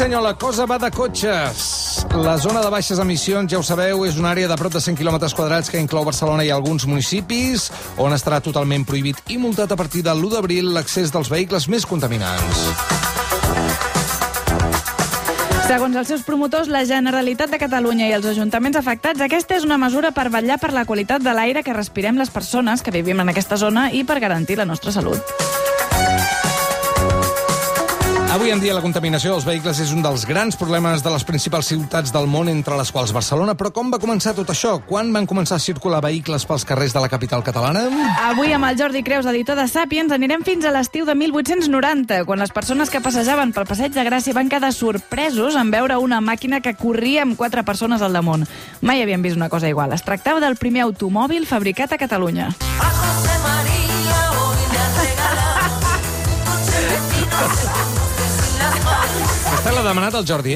senyor, la cosa va de cotxes. La zona de baixes emissions, ja ho sabeu, és una àrea de prop de 100 quilòmetres quadrats que inclou Barcelona i alguns municipis, on estarà totalment prohibit i multat a partir de l'1 d'abril l'accés dels vehicles més contaminants. Segons els seus promotors, la Generalitat de Catalunya i els ajuntaments afectats, aquesta és una mesura per vetllar per la qualitat de l'aire que respirem les persones que vivim en aquesta zona i per garantir la nostra salut. Avui en dia la contaminació dels vehicles és un dels grans problemes de les principals ciutats del món, entre les quals Barcelona. Però com va començar tot això? Quan van començar a circular vehicles pels carrers de la capital catalana? Avui amb el Jordi Creus, editor de Sàpiens, anirem fins a l'estiu de 1890, quan les persones que passejaven pel Passeig de Gràcia van quedar sorpresos en veure una màquina que corria amb 4 persones al damunt. Mai havien vist una cosa igual. Es tractava del primer automòbil fabricat a Catalunya. Aquesta l'ha demanat el Jordi,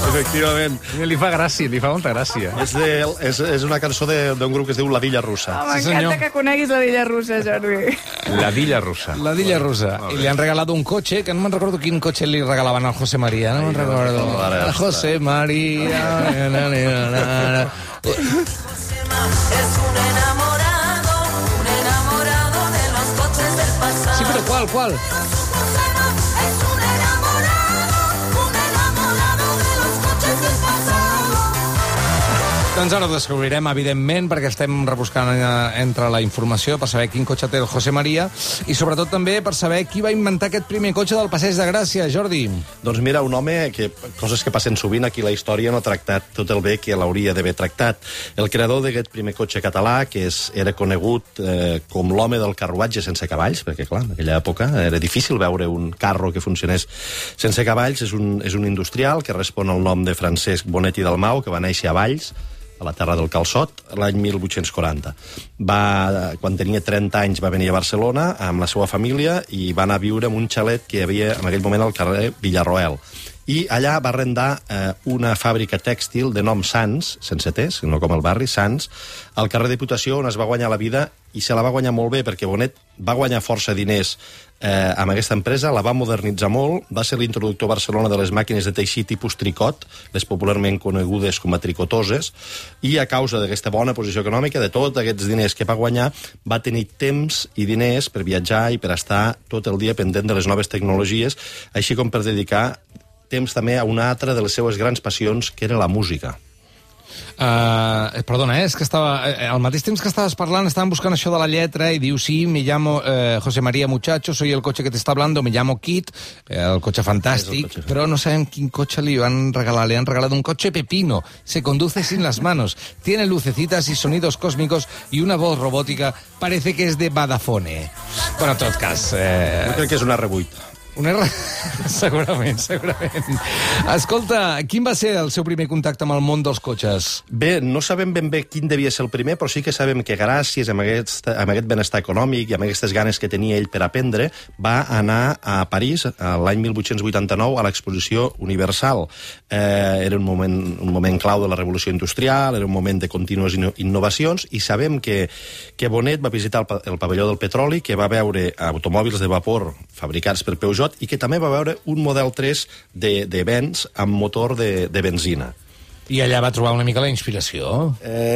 Efectivament. Li fa gràcia, li fa molta gràcia. És una cançó d'un grup que es diu La Dilla Russa. M'encanta que coneguis la Dilla Russa, Jordi. La Dilla Russa. La Dilla Russa. I li han regalat un cotxe, que no me'n recordo quin cotxe li regalaven al José María. No me'n recordo. Al José María. Sí, però qual? Doncs ara ho descobrirem, evidentment, perquè estem rebuscant entre la informació per saber quin cotxe té el José María i sobretot també per saber qui va inventar aquest primer cotxe del Passeig de Gràcia, Jordi. Doncs mira, un home que coses que passen sovint aquí la història no ha tractat tot el bé que l'hauria d'haver tractat. El creador d'aquest primer cotxe català, que era conegut com l'home del carruatge sense cavalls, perquè clar, en aquella època era difícil veure un carro que funcionés sense cavalls, és un industrial que respon al nom de Francesc Bonet i Dalmau, que va néixer a Valls, a la terra del calçot, l'any 1840. Quan tenia 30 anys va venir a Barcelona amb la seva família i va anar a viure en un xalet que hi havia en aquell moment al carrer Villarroel. I allà va arrendar una fàbrica tèxtil de nom Sans, sense Ts, no com el barri, Sans, al carrer Diputació, on es va guanyar la vida, i se la va guanyar molt bé, perquè Bonet va guanyar força diners amb aquesta empresa, la va modernitzar molt, va ser l'introductor a Barcelona de les màquines de teixir tipus tricot, les popularment conegudes com a tricotoses, i a causa d'aquesta bona posició econòmica, de tots aquests diners que va guanyar, va tenir temps i diners per viatjar i per estar tot el dia pendent de les noves tecnologies, així com per dedicar temps també a una altra de les seues grans passions, que era la música. Perdona, és que al mateix temps que estaves parlant estàvem buscant això de la lletra i diu, sí, me llamo José María Muchacho, soy el coche que te está hablando, me llamo Kit, el cotxe fantàstic, però no sabem quin cotxe li van regalar. Le han regalado un coche pepino, se conduce sin las manos, tiene lucecitas y sonidos cósmicos y una voz robótica, parece que es de Vodafone. Bueno, en tot cas... Jo crec que és una R8. Segurament. Escolta, quin va ser el seu primer contacte amb el món dels cotxes? Bé, no sabem ben bé quin devia ser el primer, però sí que sabem que gràcies a aquest benestar econòmic i amb aquestes ganes que tenia ell per aprendre, va anar a París l'any 1889 a l'exposició Universal. Era un moment clau de la revolució industrial, era un moment de contínues innovacions, i sabem que Bonet va visitar el pavelló del petroli, que va veure automòbils de vapor fabricats per Peugeot, i que també va veure un Model 3 de Benz amb motor de benzina. I allà va trobar una mica la inspiració.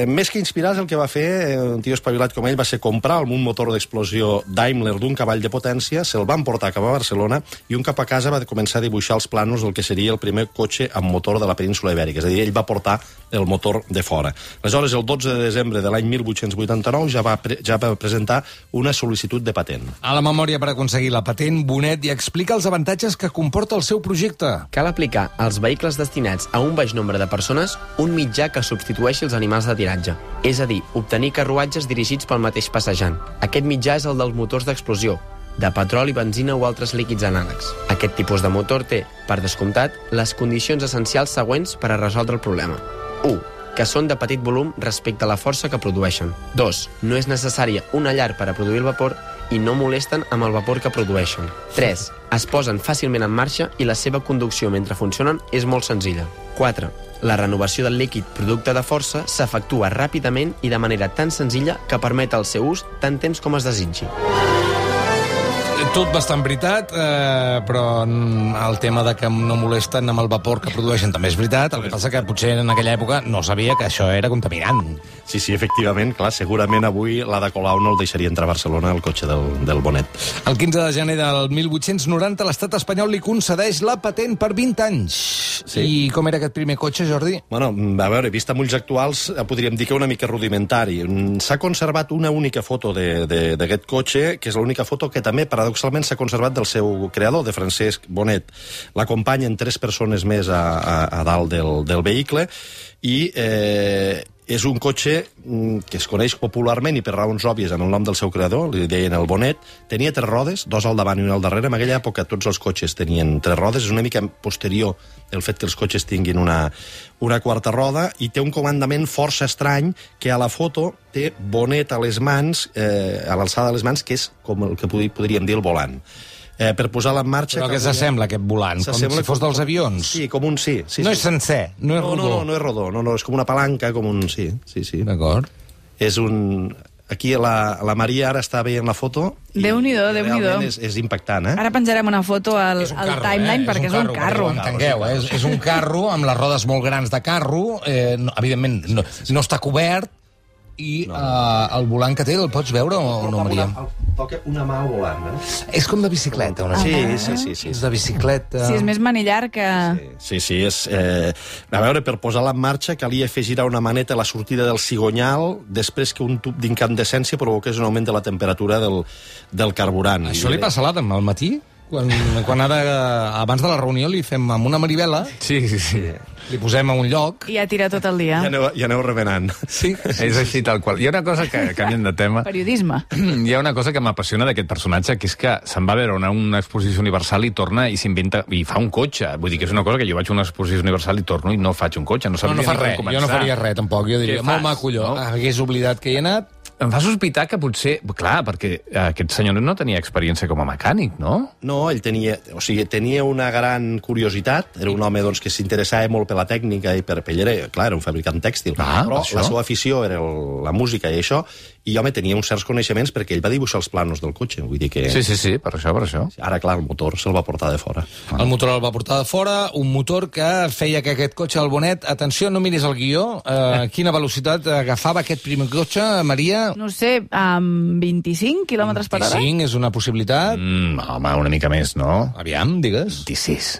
Més que inspirar, el que va fer un tio espavilat com ell va ser comprar un motor d'explosió Daimler d'un cavall de potència, se'l van portar cap a Barcelona i un cap a casa va començar a dibuixar els plànols del que seria el primer cotxe amb motor de la península Ibèrica. És a dir, ell va portar el motor de fora. Aleshores, el 12 de desembre de l'any 1889 ja va presentar una sol·licitud de patent. A la memòria per aconseguir la patent, Bonet ja explica els avantatges que comporta el seu projecte. Cal aplicar als vehicles destinats a un baix nombre de persones un mitjà que substitueixi els animals de tiratge, és a dir, obtenir carruatges dirigits pel mateix passejant. Aquest mitjà és el dels motors d'explosió, de petroli, benzina o altres líquids anàlegs. Aquest tipus de motor té, per descomptat, les condicions essencials següents per a resoldre el problema. 1. Que són de petit volum respecte a la força que produeixen. 2. No és necessària una llar per a produir el vapor i no molesten amb el vapor que produeixen. 3. Es posen fàcilment en marxa i la seva conducció mentre funcionen és molt senzilla. 4. La renovació del líquid producte de força s'efectua ràpidament i de manera tan senzilla que permet el seu ús tant temps com es desitgi. Tot bastant veritat, però el tema de que no molesten amb el vapor que produeixen també és veritat. El que passa que potser en aquella època no sabia que això era contaminant. Sí, efectivament, clar, segurament avui l'Ada Colau no el deixaria entrar a Barcelona el cotxe del Bonet. El 15 de gener del 1890 l'estat espanyol li concedeix la patent per 20 anys. Sí. I com era aquest primer cotxe, Jordi? Bueno, a veure, vist amb ulls actuals, podríem dir que una mica rudimentari. S'ha conservat una única foto d'aquest cotxe, que és l'única foto que també, paradoxalment, s'ha conservat del seu creador, de Francesc Bonet. L'acompanyen 3 persones més a dalt del vehicle i és un cotxe que es coneix popularment i per raons òbvies amb el nom del seu creador, li deien el Bonet. Tenia 3 rodes, 2 al davant i 1 al darrere. En aquella època tots els cotxes tenien 3 rodes. És una mica posterior el fet que els cotxes tinguin una quarta roda, i té un comandament força estrany que a la foto té Bonet a les mans, a l'alçada de les mans, que és com el que podríem dir el volant. Per posar-la en marxa... Però què s'assembla, aquest volant? Com si fos dels avions? Sí, com un sí. No és sencer, no és rodó. No és rodó, no, és com una palanca, com un... Sí. D'acord. És un... Aquí la Maria ara està veient la foto. Déu-n'hi-do, Déu-n'hi-do. És impactant, eh? Ara penjarem una foto al timeline perquè és un carro. Entengueu, és un carro amb les rodes molt grans de carro, evidentment no està cobert, i el volant que té el pots veure o no, Maria? Toca una mà volant, eh? És com de bicicleta, una Sí. És de bicicleta... Sí, és més manillar que... Sí, és... A veure, per posar-la en marxa calia fer girar una maneta a la sortida del cigonyal després que un tub d'incandescència provoqués un augment de la temperatura del carburant. Això li passa a l'Adam al matí? Quan abans de la reunió li fem amb una marivela, Sí. li posem a un lloc... I ja tira tot el dia. Ja aneu remenant. Sí. És així tal qual. Hi ha una cosa que canviem de tema. Periodisme. Hi ha una cosa que m'apassiona d'aquest personatge, que és que se'n va a veure una exposició universal i torna i s'inventa i fa un cotxe. Vull dir que és una cosa que jo vaig a una exposició universal i torno i no faig un cotxe. No fa res, jo no faria res, tampoc. Jo diria, molt maco, allò. Hagués oblidat que hi he anat. Em fa sospitar que potser... Clar, perquè aquest senyor no tenia experiència com a mecànic, no? No, ell tenia una gran curiositat. Era un home que s'interessava molt per la tècnica i per ell era un fabricant tèxtil. Però la seva afició era la música i això, i home, tenia uns certs coneixements perquè ell va dibuixar els planos del cotxe. Vull dir que... Sí, per això. Ara, clar, el motor se'l va portar de fora. El motor el va portar de fora, un motor que feia que aquest cotxe, el Bonet... Atenció, no miris el guió. Quina velocitat agafava aquest primer cotxe, Maria? No sé, amb 25 km per hora? 25 és una possibilitat. Home, una mica més, no? Aviam, digues. 26.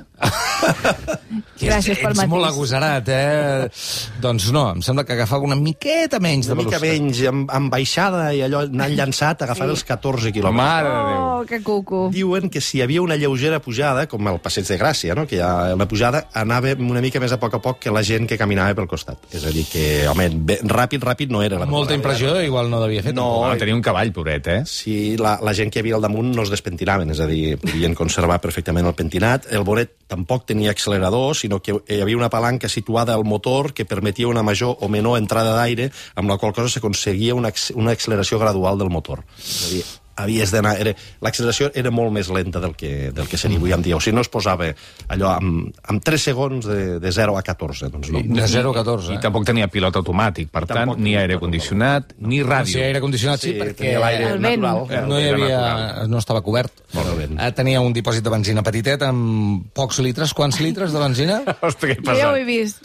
Gràcies pel matís. Ets molt agosarat, Doncs no, em sembla que agafava una miqueta menys de velocitat. Una mica menys, amb baixada i allò anant llançat, agafava els 14 quilòmetres. Mare de Déu. Oh, que cuco. Diuen que si hi havia una lleugera pujada, com el Passeig de Gràcia, no? Que hi ha una pujada, anava una mica més a poc que la gent que caminava pel costat. És a dir, que, home, ràpid no era. Molta impressió, igual no devia fer. No, tenia un cavall, pobret, Sí, la gent que hi havia al damunt no es despentinaven, és a dir, podien conservar perfectament el pentinat. El Bonet tampoc tenia accelerador, sinó que hi havia una palanca situada al motor que permetia una major o menor entrada d'aire, amb la qual cosa s'aconseguia una acceleració gradual del motor. És a dir, havies d'anar... L'acceleració era molt més lenta del que seria avui en dia. O sigui, no es posava allò amb 3 segons de 0 a 14. Doncs no. De 0 a 14. I tampoc tenia pilot automàtic, per tant, ni aire condicionat, ni ràdio. Sí, aire condicionat sí, perquè l'aire natural. No estava cobert. Tenia un dipòsit de benzina petitet amb pocs litres. Quants litres de benzina? Ostres, que ja ho he vist.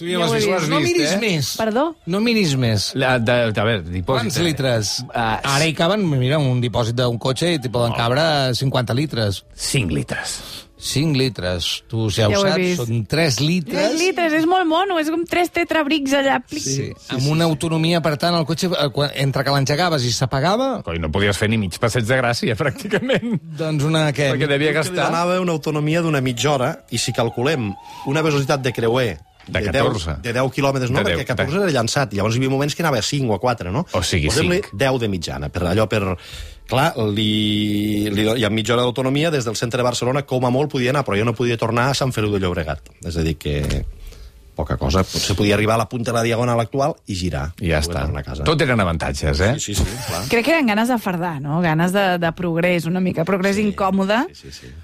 No miris més. Perdó? No miris més. A veure, dipòsit... Quants litres? Ara hi caben, mira, un dipòsit d'un cotxe i t'hi poden cabre 50 litres. 5 litres. 5 litres. Tu ja ho saps, són 3 litres. 3 litres, és molt mono, és com 3 tetrabrics allà. Sí. Amb una autonomia, per tant, el cotxe, entre que l'engegaves i s'apagava... Coi, no podies fer ni mig passeig de Gràcia, pràcticament. Doncs una... Perquè devia gastar... Donava una autonomia d'una mitja hora, i si calculem una velocitat de creuer de 14. De 10 quilòmetres, no, perquè 14 era llançat, i llavors hi havia moments que anava a 5 o a 4, no? O sigui, 5. 10 de mitjana, Clar, hi ha mitja hora d'autonomia des del centre de Barcelona, com a molt podia anar, però jo no podia tornar a Sant Feliu de Llobregat. És a dir, que poca cosa. Potser podia arribar a la punta de la diagonal actual i girar. I ja està. Tot eren avantatges, eh? Sí, clar. Crec que eren ganes de fardar, no? Ganes de progrés, una mica. Progrés incòmode,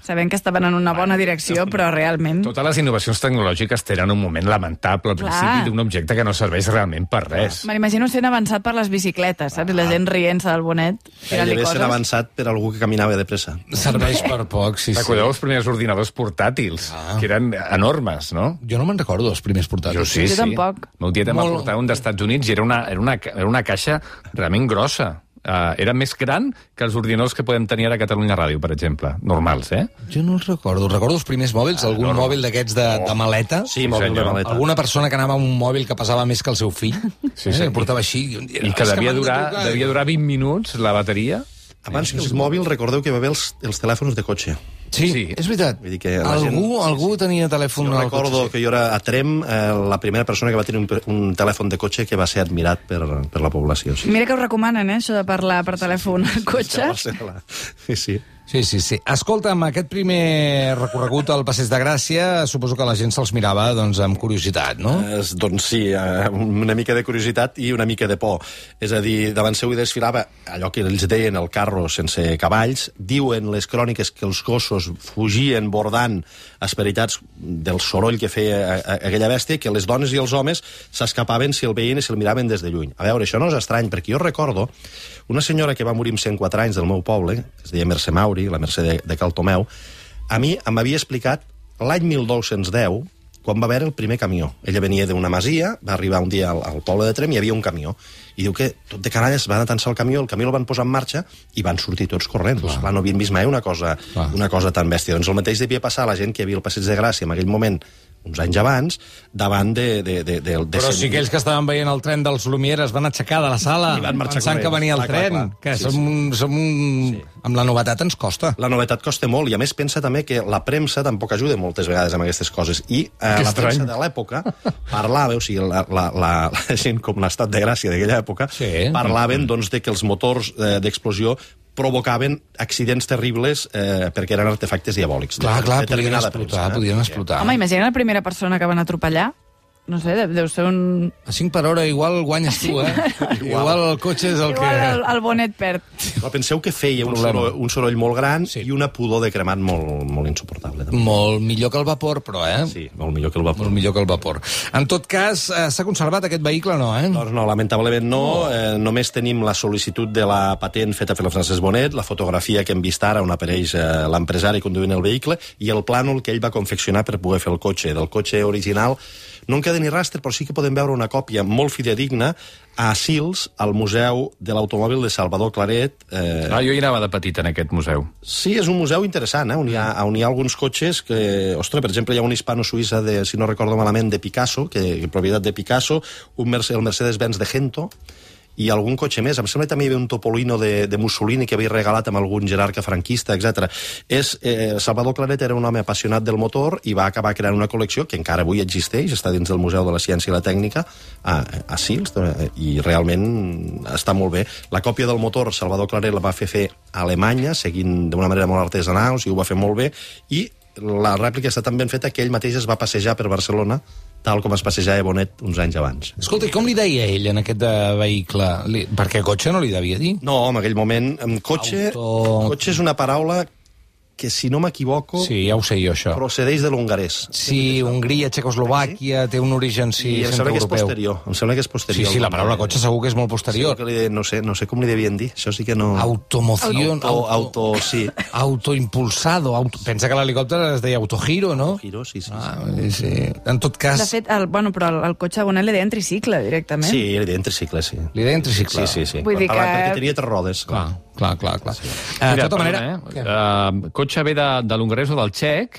sabent que estaven en una bona direcció, però realment... Totes les innovacions tecnològiques tenen un moment lamentable al principi d'un objecte que no serveix realment per res. Me l'imagino sent avançat per les bicicletes, saps? La gent rient-se del bonet, tirant-li Deve coses. ser avançat per algú que caminava de pressa. Serveix per poc, sí. Recordeu els primers ordinadors portàtils, que eren enormes, no? Jo no me'n recordo dels primers portàtils. Jo sí. tampoc. Meu tiet em va portar un d'Estats Units i era una caixa realment grossa. Era més gran que els ordinadors que podem tenir ara a Catalunya Ràdio, per exemple. Normals, eh? Jo no els recordo. Recordo els primers mòbils, algun mòbil d'aquests de maleta. Sí, mòbil de maleta. Alguna persona que anava amb un mòbil que pesava més que el seu fill. Sí. Que portava així. I que devia durar 20 minuts, la bateria. Abans que els mòbils, recordeu que hi va haver els telèfons de cotxe. Sí, és veritat. Vull dir que Algú tenia telèfon Jo al recordo cotxe. que jo era a Trem la primera persona que va tenir un telèfon de cotxe que va ser admirat per la població. Sí. Mira que ho recomanen, això de parlar per telèfon al cotxe. Sí. Sí. Escolta'm, aquest primer recorregut al Passeig de Gràcia, suposo que la gent se'ls mirava doncs, amb curiositat, no? Doncs sí, una mica de curiositat i una mica de por. És a dir, davant seu hi desfilava allò que ells deien el carro sense cavalls. Diuen les cròniques que els gossos fugien bordant esperitats del soroll que feia aquella bèstia, que les dones i els homes s'escapaven si el veien i se'l miraven des de lluny. A veure, això no és estrany, perquè jo recordo una senyora que va morir amb 104 anys del meu poble, que es deia Mercè Mauri, la Mercè de Cal Tomeu, a mi m'havia explicat l'any 1910, quan va haver el primer camió. Ella venia d'una masia, va arribar un dia al poble de Trem i hi havia un camió. I diu que tot de canalles van atensar el camió el van posar en marxa i van sortir tots corrents. Clar, no havien vist mai una cosa tan bèstia. Doncs el mateix devia passar a la gent que hi havia al Passeig de Gràcia en aquell moment, uns anys abans, davant de Però sí que ells que estaven veient el tren dels Lumière es van aixecar de la sala pensant que venia el tren, que amb la novetat ens costa. La novetat costa molt, i a més pensa també que la premsa tampoc ajuda moltes vegades amb aquestes coses, i la premsa de l'època parlava, o sigui, la gent com l'Estat de Gràcia d'aquella època, parlaven doncs de que els motors d'explosió provocaven accidents terribles perquè eren artefactes diabòlics. Clar, podien explotar. Home, imagina la primera persona que van atropellar. No sé, deu ser un... A 5 per hora igual guanyes tu, eh? Igual el cotxe és el que... Igual el bonet perd. Però penseu que feia un soroll molt gran i una pudor de cremat molt insuportable. També. Molt millor que el vapor, però, eh? Sí, molt millor que el vapor. Molt millor que el vapor. En tot cas, s'ha conservat aquest vehicle, no, eh? Doncs no, lamentablement no. Només tenim la sol·licitud de la patent feta per la Francesc Bonet, la fotografia que hem vist ara on apareix l'empresari conduint el vehicle i el plànol que ell va confeccionar per poder fer el cotxe. Del cotxe original no en queda ni rastre, però sí que podem veure una còpia molt fidedigna a Sils, al Museu de l'Automòbil de Salvador Claret. Jo hi anava de petit en aquest museu. Sí, és un museu interessant, on hi ha alguns cotxes que... Ostres, per exemple, hi ha un hispano-suïssa, si no recordo malament, de Picasso, propietat de Picasso, el Mercedes-Benz de Gento, i algun cotxe més. Em sembla que també hi havia un Topolino de Mussolini que havia regalat amb algun jerarca franquista, etc. Salvador Claret era un home apassionat del motor i va acabar creant una col·lecció que encara avui existeix, està dins del Museu de la Ciència i la Tècnica, a Sils, i realment està molt bé. La còpia del motor Salvador Claret la va fer a Alemanya, seguint d'una manera molt artesanal, o sigui, ho va fer molt bé, i la rèplica està tan ben feta que ell mateix es va passejar per Barcelona tal com es passejava Bonet uns anys abans. Escolta, i com li deia ell en aquest vehicle? Perquè cotxe no li devia dir. No, en aquell moment, cotxe és una paraula que, si no m'equivoco... Sí, ja ho sé jo, això. Procedeix de l'hongarès. Sí, Hongria, Txecoslovàquia, té un origen, sí, centroeuropeu. Em sembla que és posterior. Sí, la paraula cotxe segur que és molt posterior. No sé com li devien dir, això sí que no... Automoción. Sí. Autoimpulsado. Pensa que l'helicòpter es deia autogiro, no? Autogiro, sí. Sí. En tot cas... De fet, però el cotxe a Bonet li deien tricicle, directament. Sí, li deien tricicle, sí. Li deien tricicle? Sí. Vull dir que... Perquè tenia 3 rodes. Clar. Sí. De tota manera... Cotxe ve de l'hongarès o del txec,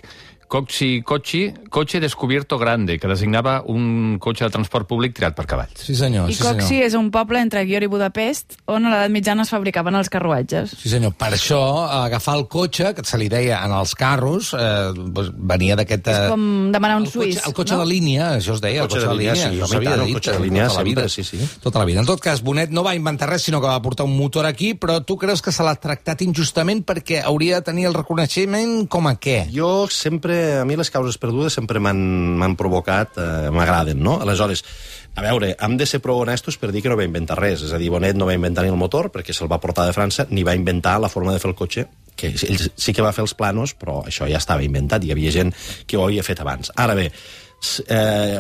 Cotxe Descubierto Grande, que designava un cotxe de transport públic tirat per cavalls. Sí, senyor. I Coxi és un poble entre Győr i Budapest on a l'edat mitjana es fabricaven els carruatges. Sí, senyor. Per això, agafar el cotxe, que se li deia en els carros, venia d'aquest... És com demanar un suís, el cotxe de línia, això es deia, el cotxe de línia. Sí, el cotxe de línia sempre, sí. Tota la vida. En tot cas, Bonet no va inventar res, sinó que va portar un motor aquí, però tu creus que se l'ha tractat injustament perquè hauria de tenir el reconeixement com a què? Jo sempre a mi les causes perdudes sempre m'han provocat, m'agraden, no? Aleshores, a veure, hem de ser prou honestos per dir que no va inventar res. És a dir, Bonet no va inventar ni el motor, perquè se'l va portar de França, ni va inventar la forma de fer el cotxe, que ell sí que va fer els planos, però això ja estava inventat, hi havia gent que ho havia fet abans. Ara bé,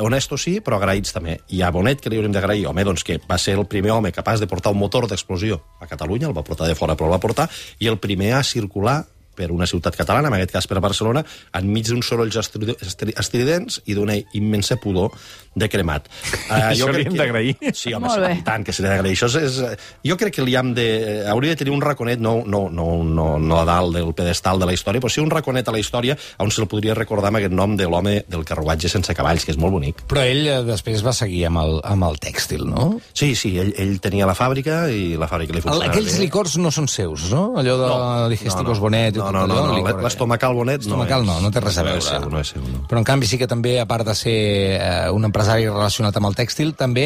honestos sí, però agraïts també. I a Bonet, que li hauríem d'agrair? Home, doncs que va ser el primer home capaç de portar un motor d'explosió a Catalunya, el va portar de fora, però el va portar, i el primer a circular per una ciutat catalana, en aquest cas per Barcelona, enmig d'uns sorolls estridents i d'una immensa pudor de cremat. Això li hem d'agrair. Sí, home, i tant que se li ha d'agrair. Jo crec que li hem hauria de tenir un raconet, no a dalt del pedestal de la història, però sí un raconet a la història on se'l podria recordar amb aquest nom de l'home del carruatge sense cavalls, que és molt bonic. Però ell després va seguir amb el tèxtil, no? Sí, ell tenia la fàbrica i la fàbrica li funcionava bé. Aquells licors no són seus, no? Allò de digestivos Bonet... No, l'estomacal Bonet no és. No té res a veure. No és seu. Però en canvi sí que també, a part de ser un empresari relacionat amb el tèxtil, també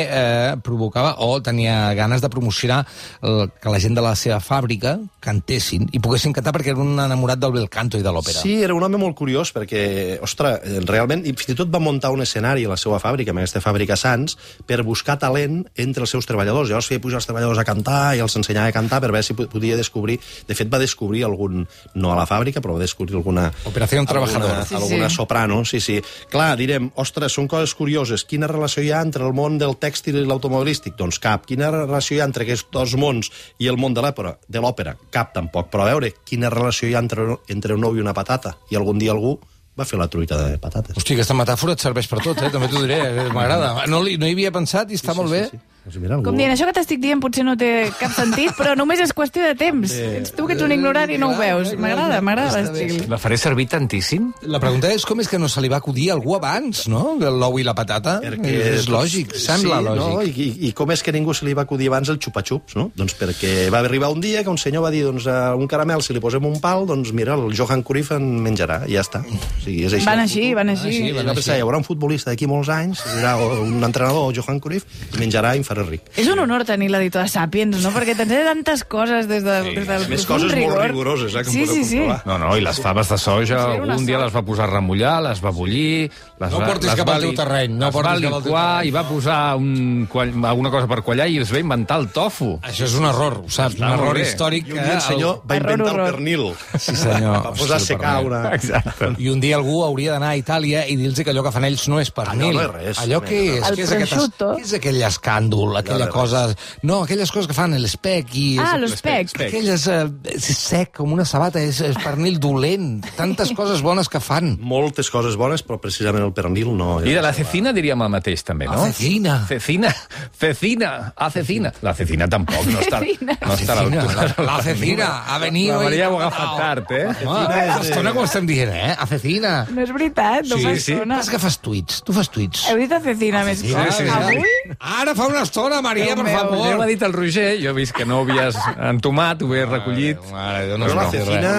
provocava o tenia ganes de promocionar que la gent de la seva fàbrica cantessin i poguessin cantar perquè era un enamorat del bel canto i de l'òpera. Sí, era un home molt curiós perquè, ostres, realment, i fins i tot va muntar un escenari a la seva fàbrica, en aquesta fàbrica Sants, per buscar talent entre els seus treballadors. Llavors feia pujar els treballadors a cantar i els ensenyava a cantar per veure si podia descobrir... De fet, va descobrir algun... No a la fàbrica, però va descobrir alguna... Operació Trabajador. Alguna soprano, sí. Clar, direm, ostres, són coses curioses. Quina relació hi ha entre el món del tèxtil i l'automobilístic? Doncs cap. Quina relació hi ha entre aquests dos mons i el món de l'òpera? Cap, tampoc. Però a veure, quina relació hi ha entre un ou i una patata? I algun dia algú va fer la truita de patates. Hosti, aquesta metàfora et serveix per tot, també t'ho diré. M'agrada. No hi havia pensat i està molt bé. Sí. Mira, com dient, això que t'estic dient potser no té cap sentit, però només és qüestió de temps. Ets tu que ets un ignorant i no ho veus. M'agrada l'estil. La faré servir tantíssim? La pregunta és com és que no se li va acudir a algú abans, no? L'ou i la patata. És lògic, sembla lògic. No? I com és que ningú se li va acudir abans el xupa-xups, no? Doncs perquè va arribar un dia que un senyor va dir, doncs a un caramel, si li posem un pal, doncs mira, el Johan Cruyff en menjarà, i ja està. O sigui, és així. Van així. Hi haurà un futbolista d'aquí molts anys, serà un entrenador, Johan Cruyff, i menjarà i em farà ric. És un honor tenir l'editor de Sàpiens, no? Perquè t'ensenya tantes coses des del més coses molt rigoroses, que em podeu comprovar. No, i les faves de soja, algun dia les va posar a remullar, les va bullir... No portis cap al teu terreny. Les va liquar i va posar alguna cosa per quallar i es va inventar el tofu. Això és un error, ho saps? Un error històric. I un dia el senyor va inventar el pernil. Sí, senyor. Va posar a secar una... Exacte. I un dia algú hauria d'anar a Itàlia i dir-los que allò que fan ells no és pernil. Allò no és res. Allò què és? El prosciutto. Què és aquell escàndol, aquella cosa... No, aquelles coses que fan l'espec i... l'espec. Aquelles... És sec, com una sabata, és pernil dolent. Tantes coses bones que fan. Moltes coses bones, però precisament el pernil no... I de la cecina diríem el mateix, també, no? Cecina. Cecina. La cecina tampoc, no està a l'altura. La cecina ha venido... La Maria ho ha agafat tard, Estona com estem dient, Cecina. No és veritat, no fa estona. És que fas tuits, tu fas tuits. Heu dit Cecina més cops. Avui? Ara fa una estona, Maria, per favor. Ho ha dit el Roger, jo he vist que no ho havies entomat, ho he recollit. Però la cecina,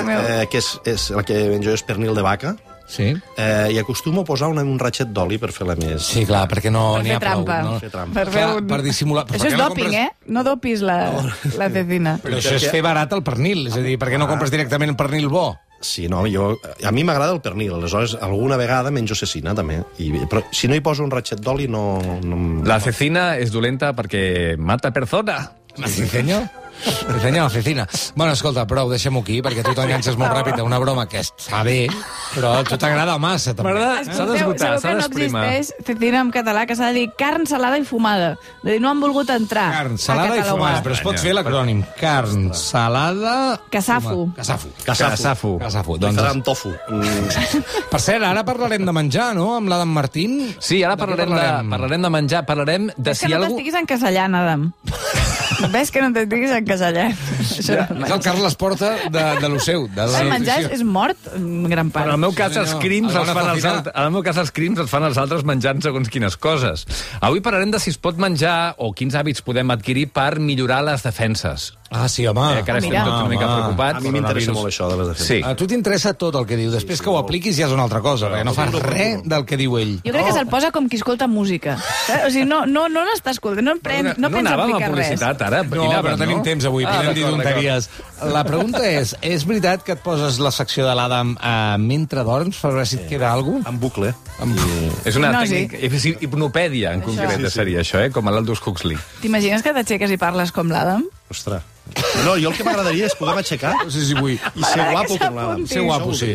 que és el que jo és pernil de vaca, sí. I acostumo a posar un ratxet d'oli per fer-la més... Sí, clar, perquè no n'hi ha prou. Per fer trampa. Per dissimular... Això és doping, No dopis la cecina. Però això és fer barat el pernil, és a dir, per què no compres directament el pernil bo? Sí, no, a mi m'agrada el pernil, aleshores alguna vegada menjo cecina, també. Però si no hi poso un ratxet d'oli, no... La cecina és dolenta perquè mata persona. Sí, senyor. Senyor, cecina. Bueno, escolta, prou, deixem-ho aquí, perquè tu t'enganxes molt ràpid a una broma que està bé, però a tu t'agrada massa, també. S'ha d'esgotar, s'ha d'esprimar. No existeix cecina en català, que s'ha de dir carn salada i fumada. De dir, no han volgut entrar. Carn salada i fumada, però es pot fer l'acrònim. Carn salada... Casafu. Casafu. Doncs farà amb tofu. Per cert, ara parlarem de menjar, no?, amb l'Adam Martín. Sí, ara parlarem de menjar, parlarem de si algú... Ves que no t'estiguis encasellant, Adam. Ves que no t'estiguis encasellant. És el Carles Porta de lo seu. El menjar és mort, en gran part. En el meu cas, els crims els fan els altres menjant segons quines coses. Avui parlarem de si es pot menjar o quins hàbits podem adquirir per millorar les defenses. Ah, sí, home. Que ara estem tots una mica preocupats. A mi m'interessa molt això de les defenses. Sí. A tu t'interessa tot el que diu. Després que ho apliquis ja és una altra cosa, perquè no fas res del que diu ell. Jo crec que se'l posa com qui escolta música. O sigui, no n'està escoltant, no pensa anàvem aplicar a res. publicitat, ara? No, però no tenim temps avui, podem dir tonteries. La pregunta és veritat que et poses la secció de l'Adam mentre dorms per veure si et queda alguna cosa? En bucle. És una Hipnosi. tècnica, hipnopèdia, en concret, seria això, com l'Aldous Huxley. T'imagines que t'aixeques i parles com l'Adam? Ostres. No, jo el que m'agradaria és poder m'aixecar No sé si vull. i ser guapo com l'Adam. Ser guapo, sí.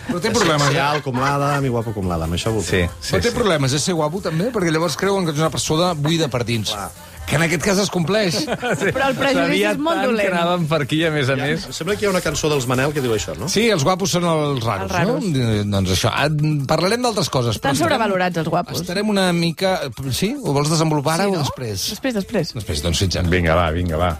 Però té problemes, Ser alt com l'Adam i guapo com l'Adam, això vol dir. Però té problemes, és ser guapo també, perquè llavors creuen que ets una persona buida per dins. Que en aquest cas es compleix. Però el prejudici és molt que dolent. anàvem per aquí, a més. Em sembla que hi ha una cançó dels Manel que diu això, no? Sí, els guapos són els raros, Els raros. no? Doncs això. Parlarem d'altres coses. Estan sobrevalorats, els guapos. Estarem una mica... Sí? Ho vols desenvolupar ara o després? Després. Després, doncs fins ara. Vinga, va.